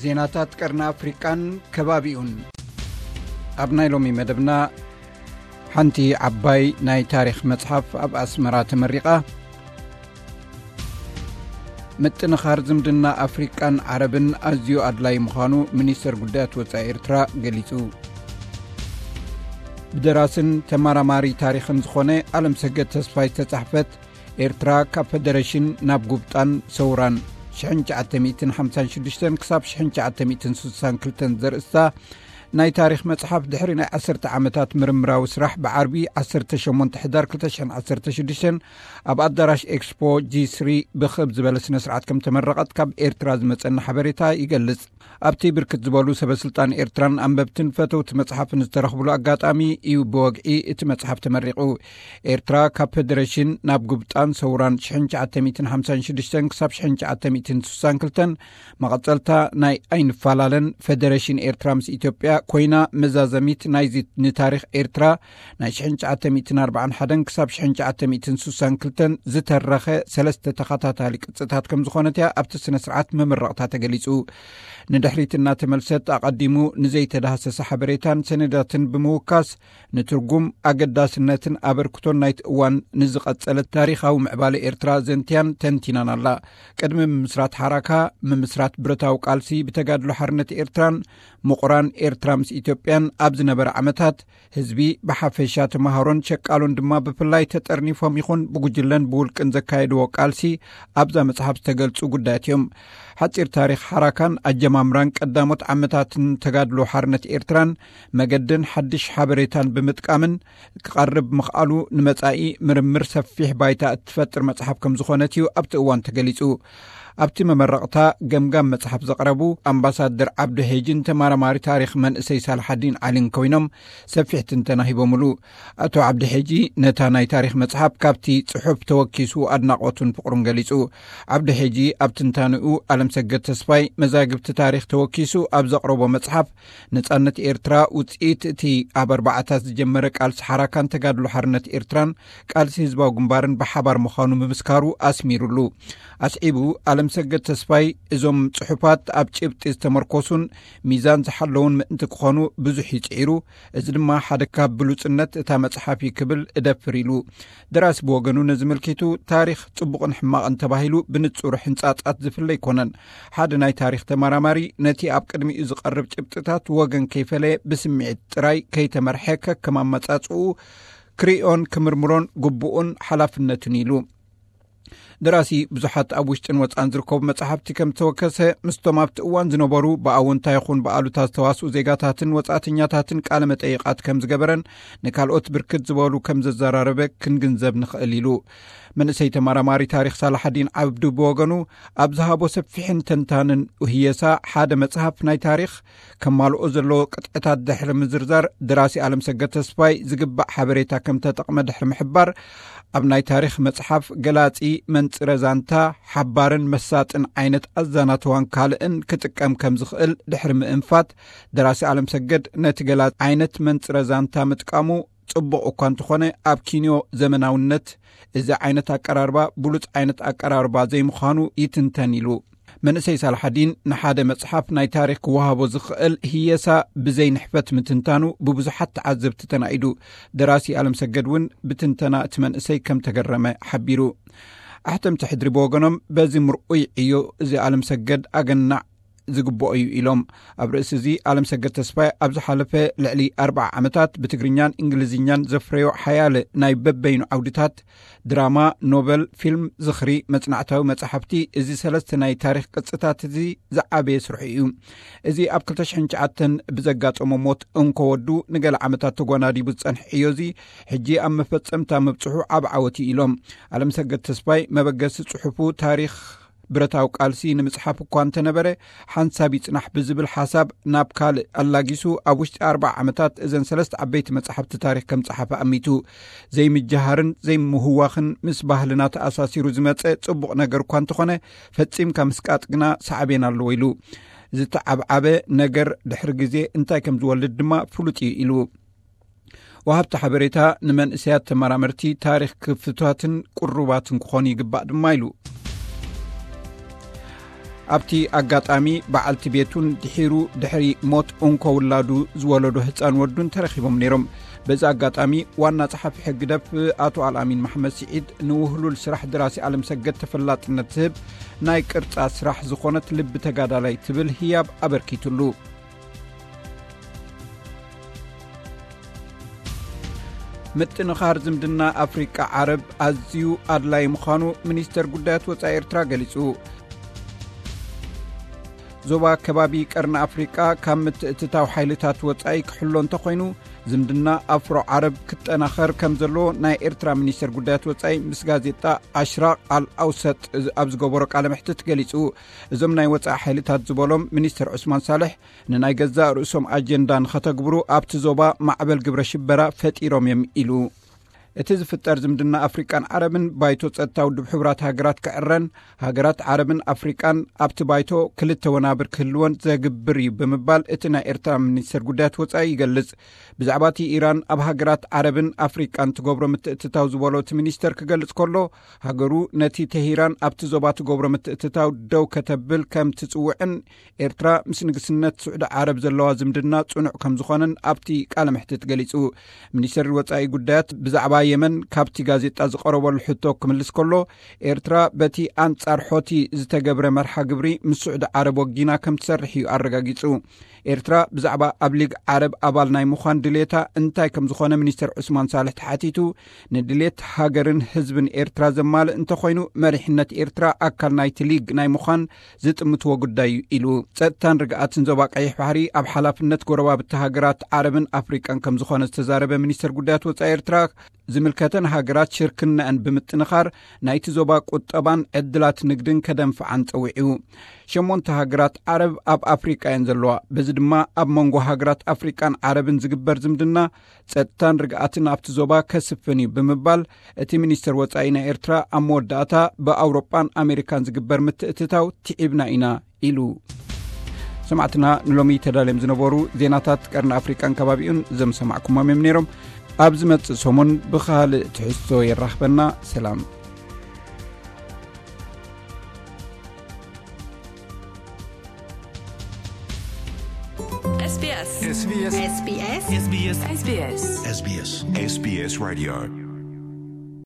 ዜናታት ቀርኒ ኣፍሪቃን ከባቢኡን። ኣብ ናይ ሎሚ መደብና፣ ሓንቲ ዓባይ ናይ ታሪኽ መጽሓፍ ኣብ ኣስመራ ተመሪቓ። ምጥንኻር ዝምድና ኣፍሪቃን ዓረብን ኣዝዩ ኣድላይ ምዃኑ ሚኒስተር ጉዳያት ወጻኢ ኤርትራ ገሊጹ። ብደራስን ተመራማሪ ታሪኽን ዝኾነ ኣለምሰገድ ተስፋይ ዝተጻሕፈት ኤርትራ ካብ ፈደረሽን ናብ ጉብጣን ሰውራን ሽሕን ትሽዓተ ሚእትን ሓምሳን ሽዱሽተን ክሳብ ሽሕን ትሽዓተ ሚእትን ስሳን ክልተን ዘርእስታ ናይ ታሪኽ መጽሓፍ፣ ድሕሪ ናይ ዓሰርተ ዓመታት ምርምራዊ ስራሕ፣ ብዓርቢ ዓሰርተ ሸሞንተ ሕዳር ክልተ ሽሕን ዓሰርተ ሽዱሽተን ኣብ ኣዳራሽ ኤክስፖ ጂ ስሪ ብኽብ ዝበለ ስነ ስርዓት ከም ተመረቐት ካብ ኤርትራ ዝመጸና ሓበሬታ ይገልጽ። ኣብቲ ብርክት ዝበሉ ሰበ ስልጣን ኤርትራን ኣንበብትን ፈተውቲ መጽሓፍን ዝተረኽብሉ ኣጋጣሚ እዩ ብወግዒ እቲ መጽሓፍ ተመሪቑ። ኤርትራ ካብ ፈደረሽን ናብ ጉብጣን ሰውራን ሽሕን ትሽዓተ ሚእትን ሓምሳን ሽዱሽተን ክሳብ ሽሕን ትሽዓተ ሚእትን ስሳን ክልተን፣ መቐጸልታ ናይ ኣይንፈላለን ፈደረሽን ኤርትራ ምስ ኢትዮጵያ ኮይና፣ መዛዘሚት ናይዚ ንታሪኽ ኤርትራ ናይ ሽሕን ትሽዓተ ሚእትን ኣርባዓን ሓደን ክሳብ ሽሕን ትሽዓተ ሚእትን ስሳን ክልተን ዝተረኸ ሰለስተ ተኸታታሊ ቅጽታት ከም ዝኾነት እያ ኣብቲ ስነ ስርዓት መመረቕታ ተገሊጹ። ንድሕሪት እናተመልሰት፣ ኣቐዲሙ ንዘይተዳህሰሰ ሓበሬታን ሰነዳትን ብምውካስ፣ ንትርጉም፣ ኣገዳስነትን ኣበርክቶን ናይቲ እዋን ንዝቐጸለ ታሪኻዊ ምዕባለ ኤርትራ ዘንትያን ተንቲናን ኣላ። ቅድሚ ምምስራት ሓራካ፣ ምምስራት ብረታዊ ቃልሲ ብተጋድሎ ሓርነት ኤርትራን ምቑራን ኤርትራ ምስ ኢትዮጵያን ኣብ ዝነበረ ዓመታት፣ ህዝቢ ብሓፈሻ፣ ተመሃሮን ሸቃሎን ድማ ብፍላይ፣ ተጠርኒፎም ይኹን ብጉጅለን ብውልቅን ዘካየድዎ ቃልሲ ኣብዛ መጽሓፍ ዝተገልጹ ጉዳያት እዮም። ሓጺር ታሪኽ ሓራካን ኣጀማምራን ቀዳሞት ዓመታትን ተጋድሎ ሓርነት ኤርትራን መገድን ሓድሽ ሓበሬታን ብምጥቃምን ክቐርብ ምኽኣሉ፣ ንመጻኢ ምርምር ሰፊሕ ባይታ እትፈጥር መጽሓፍ ከም ዝኾነት እዩ ኣብቲ እዋን ተገሊጹ። ኣብቲ መመረቕታ ገምጋም መጽሓፍ ዘቕረቡ ኣምባሳደር ዓብዱ ሄጂን ተመራማሪ ታሪኽ መንእሰይ ሳልሓዲን ዓሊን ኮይኖም፣ ሰፊሕ ትንተና ሂቦምሉ። ኣቶ ዓብዲ ሄጂ ነታ ናይ ታሪኽ መጽሓፍ ካብቲ ጽሑፍ ተወኪሱ ኣድናቖቱን ፍቕሩን ገሊጹ። ዓብዲ ሄጂ ኣብ ትንታንኡ፣ ኣለምሰገድ ተስፋይ መዛግብቲ ታሪኽ ተወኪሱ ኣብ ዘቕረቦ መጽሓፍ፣ ነጻነት ኤርትራ ውጽኢት እቲ ኣብ ኣርባዓታት ዝጀመረ ቃልሲ ሓራካን ተጋድሎ ሓርነት ኤርትራን ቃልሲ ህዝባዊ ግንባርን ብሓባር ምዃኑ ምምስካሩ ኣስሚሩሉ። ኣስዒቡ፣ ኣለምሰገድ ተስፋይ፣ እዞም ጽሑፋት ኣብ ጭብጢ ዝተመርኮሱን ሚዛን ዝሓለውን ምእንቲ ክኾኑ ብዙሕ ይጽዒሩ። እዚ ድማ ሓደ ካብ ብሉጽነት እታ መጽሓፍ እዩ ክብል እደፍር ኢሉ። ደራሲ ብወገኑ ነዚ ምልኪቱ፣ ታሪኽ ጽቡቕን ሕማቕን ተባሂሉ ብንጹር ሕንጻጻት ዝፍለ ኣይኮነን። ሓደ ናይ ታሪኽ ተመራማሪ ነቲ ኣብ ቅድሚኡ ዝቐርብ ጭብጥታት ወገን ከይፈለየ፣ ብስምዒት ጥራይ ከይተመርሐ፣ ከከም ኣመጻጽኡ ክርእዮን ክምርምሮን ግቡኡን ሓላፍነቱን ኢሉ። ደራሲ ብዙሓት ኣብ ውሽጥን ወጻን ዝርከቡ መጻሕፍቲ ከም ዝተወከሰ፣ ምስቶም ኣብቲ እዋን ዝነበሩ ብኣወንታ ይኹን ብኣሉታ ዝተዋስኡ ዜጋታትን ወጻእተኛታትን ቃለ መጠይቓት ከም ዝገበረን ንካልኦት ብርክት ዝበሉ ከም ዘዘራረበ ክንግንዘብ ንኽእል ኢሉ። መንእሰይ ተመራማሪ ታሪኽ ሳላሓዲን ዓብዱ ብወገኑ፣ ኣብ ዝሃቦ ሰፊሕን ተንታንን ህየሳ፣ ሓደ መጽሓፍ ናይ ታሪኽ ከማልኦ ዘለዎ ቅጥዕታት ድሕሪ ምዝርዛር፣ ደራሲ ኣለምሰገድ ተስፋይ ዝግባእ ሓበሬታ ከም ተጠቕመ ድሕሪ ምሕባር፣ ኣብ ናይ ታሪኽ መጽሓፍ ገላጺ፣ መንጽረ ዛንታ፣ ሓባርን መሳጥን ዓይነት ኣዛናትዋን ካልእን ክጥቀም ከም ዝኽእል ድሕሪ ምእንፋት፣ ደራሲ ኣለምሰገድ ነቲ ገላጺ ዓይነት መንጽረ ዛንታ ምጥቃሙ ጽቡቕ እኳ እንተኾነ፣ ኣብ ኪንዮ ዘመናውነት እዚ ዓይነት ኣቀራርባ ብሉጽ ዓይነት ኣቀራርባ ዘይምዃኑ ይትንተን ኢሉ። መንእሰይ ሳልሓዲን ንሓደ መጽሓፍ ናይ ታሪኽ ክወሃቦ ዝኽእል ህየሳ ብዘይ ንሕፈት ምትንታኑ ብብዙሓት ተዓዘብቲ ተናኢዱ። ደራሲ ኣለምሰገድ እውን ብትንተና እቲ መንእሰይ ከም ተገረመ ሓቢሩ። ኣሕተምቲ ሕድሪ ብወገኖም፣ በዚ ምርኡይ ዕዮ እዚ ኣለምሰገድ ኣገናዕ ዝግብኦ እዩ ኢሎም። ኣብ ርእሲ እዚ፣ ኣለምሰገድ ተስፋይ ኣብ ዝሓለፈ ልዕሊ ኣርብዓ ዓመታት ብትግርኛን እንግሊዝኛን ዘፍረዮ ሓያለ ናይ በበይኑ ዓውድታት፣ ድራማ፣ ኖቨል፣ ፊልም፣ ዝኽሪ፣ መጽናዕታዊ መጻሕፍቲ፣ እዚ ሰለስተ ናይ ታሪኽ ቅጽታት እዚ ዝዓበየ ስርሑ እዩ። እዚ ኣብ ክልተ ሽሕን ትሽዓተን ብዘጋጠሞ ሞት እንኮ ወዱ ንገለ ዓመታት ተጓናዲቡ ዝጸንሐ ዕዮ እዚ፣ ሕጂ ኣብ መፈጸምታ ምብጽሑ ዓቢ ዓወት እዩ ኢሎም። ኣለምሰገድ ተስፋይ መበገሲ ጽሑፉ ታሪኽ ብረታዊ ቃልሲ ንምጽሓፍ እኳ እንተነበረ፣ ሓንሳብ ይጽናሕ ብዝብል ሓሳብ ናብ ካልእ ኣላጊሱ፣ ኣብ ውሽጢ ኣርብዓ ዓመታት እዘን ሰለስተ ዓበይቲ መጻሕፍቲ ታሪኽ ከም ጸሓፈ ኣሚቱ። ዘይምጅሃርን ዘይምህዋኽን፣ ምስ ባህልና ተኣሳሲሩ ዝመጸ ጽቡቕ ነገር እኳ እንተኾነ፣ ፈጺምካ ምስቃጥ ግና ሳዕቤን ኣለዎ ኢሉ። ዝተዓብዓበ ነገር ድሕሪ ግዜ እንታይ ከም ዝወልድ ድማ ፍሉጥ እዩ ኢሉ። ወሃብቲ ሓበሬታ ንመንእሰያት ተመራመርቲ ታሪኽ ክፍቱታትን ቅሩባትን ክኾኑ ይግባእ ድማ ኢሉ። ኣብቲ ኣጋጣሚ በዓልቲ ቤቱን ድሒሩ ድሕሪ ሞት እንኮ ውላዱ ዝወለዶ ህፃን ወዱን ተረኺቦም ነይሮም። በዚ ኣጋጣሚ ዋና ጸሓፊ ሕግደፍ ኣቶ ኣልኣሚን መሓመድ ስዒድ ንውህሉል ስራሕ ድራሲ ኣለም ሰገድ ተፈላጥነት ዝህብ ናይ ቅርጻ ስራሕ ዝኾነት ልቢ ተጋዳላይ ትብል ህያብ ኣበርኪትሉ። ምጥንኻር ዝምድና ኣፍሪቃ ዓረብ ኣዝዩ ኣድላይ ምዃኑ ሚኒስተር ጉዳያት ወጻኢ ኤርትራ ገሊጹ። ዞባ ከባቢ ቀርኒ ኣፍሪቃ ካብ ምትእትታው ሓይልታት ወጻኢ ክሕሎ እንተኾይኑ፣ ዝምድና ኣፍሮ ዓረብ ክጠናኸር ከም ዘለዎ ናይ ኤርትራ ሚኒስተር ጉዳያት ወጻኢ ምስ ጋዜጣ ኣሽራቕ ኣል ኣውሰጥ ኣብ ዝገበሮ ቃለ መሕትት ገሊጹ። እዞም ናይ ወጻኢ ሓይልታት ዝበሎም ሚኒስተር ዑስማን ሳልሕ፣ ንናይ ገዛእ ርእሶም ኣጀንዳ ንኸተግብሩ ኣብቲ ዞባ ማዕበል ግብረ ሽበራ ፈጢሮም እዮም ኢሉ። እቲ ዝፍጠር ዝምድና ኣፍሪቃን ዓረብን ባይቶ ጸጥታ ውድብ ሕቡራት ሃገራት ክዕረን፣ ሃገራት ዓረብን ኣፍሪቃን ኣብቲ ባይቶ ክልተ ወናብር ክህልወን ዘግብር እዩ ብምባል እቲ ናይ ኤርትራ ሚኒስተር ጉዳያት ወጻኢ ይገልጽ። ብዛዕባ እቲ ኢራን ኣብ ሃገራት ዓረብን ኣፍሪቃን ትገብሮ ምትእትታው ዝበሎ እቲ ሚኒስተር ክገልጽ ከሎ፣ ሃገሩ ነቲ ተሂራን ኣብቲ ዞባ ትገብሮ ምትእትታው ደው ከተብል ከም ትጽውዕን ኤርትራ ምስ ንግስነት ስዑዲ ዓረብ ዘለዋ ዝምድና ጽኑዕ ከም ዝኾነን ኣብቲ ቃለ መሕትት ገሊጹ። ሚኒስተር ወጻኢ ጉዳያት ብዛዕባ የመን ካብቲ ጋዜጣ ዝቐረበሉ ሕቶ ክምልስ ከሎ፣ ኤርትራ በቲ ኣንጻር ሖቲ ዝተገብረ መርሓ ግብሪ ምስ ስዑዲ ዓረብ ወጊና ከም ትሰርሕ እዩ ኣረጋጊጹ። ኤርትራ ብዛዕባ ኣብ ሊግ ዓረብ ኣባል ናይ ምዃን ድሌታ እንታይ ከም ዝኾነ ሚኒስተር ዑስማን ሳልሕ ተሓቲቱ፣ ንድሌት ሃገርን ህዝብን ኤርትራ ዘማልእ እንተኾይኑ፣ መሪሕነት ኤርትራ ኣካል ናይቲ ሊግ ናይ ምዃን ዝጥምትዎ ጉዳይ እዩ ኢሉ። ጸጥታን ርግኣትን ዞባ ቀይሕ ባሕሪ ኣብ ሓላፍነት ጎረባብቲ ሃገራት ዓረብን ኣፍሪቃን ከም ዝኾነ ዝተዛረበ ሚኒስተር ጉዳያት ወጻኢ ኤርትራ፣ ዝምልከተን ሃገራት ሽርክነአን ብምጥንኻር ናይቲ ዞባ ቁጠባን ዕድላት ንግድን ከደንፍዓን ጸዊዑ። ሸሞንተ ሃገራት ዓረብ ኣብ ኣፍሪቃ እየን ዘለዋ። በዚ ድማ ኣብ መንጎ ሃገራት ኣፍሪቃን ዓረብን ዝግበር ዝምድና ጸጥታን ርግኣትን ኣብቲ ዞባ ከስፍን እዩ ብምባል እቲ ሚኒስተር ወጻኢ ናይ ኤርትራ ኣብ መወዳእታ ብኣውሮጳን ኣሜሪካን ዝግበር ምትእትታው ትዒብና ኢና ኢሉ። ሰማዕትና ንሎሚ ተዳልዮም ዝነበሩ ዜናታት ቀርኒ ኣፍሪቃን ከባቢኡን ዘምሰማዕኩሞም እዮም ነይሮም። ኣብ ዝመጽእ ሰሙን ብኻልእ ትሕዝቶ የራኽበና። ሰላም። SBS SBS SBS SBS SBS SBS SBS Radio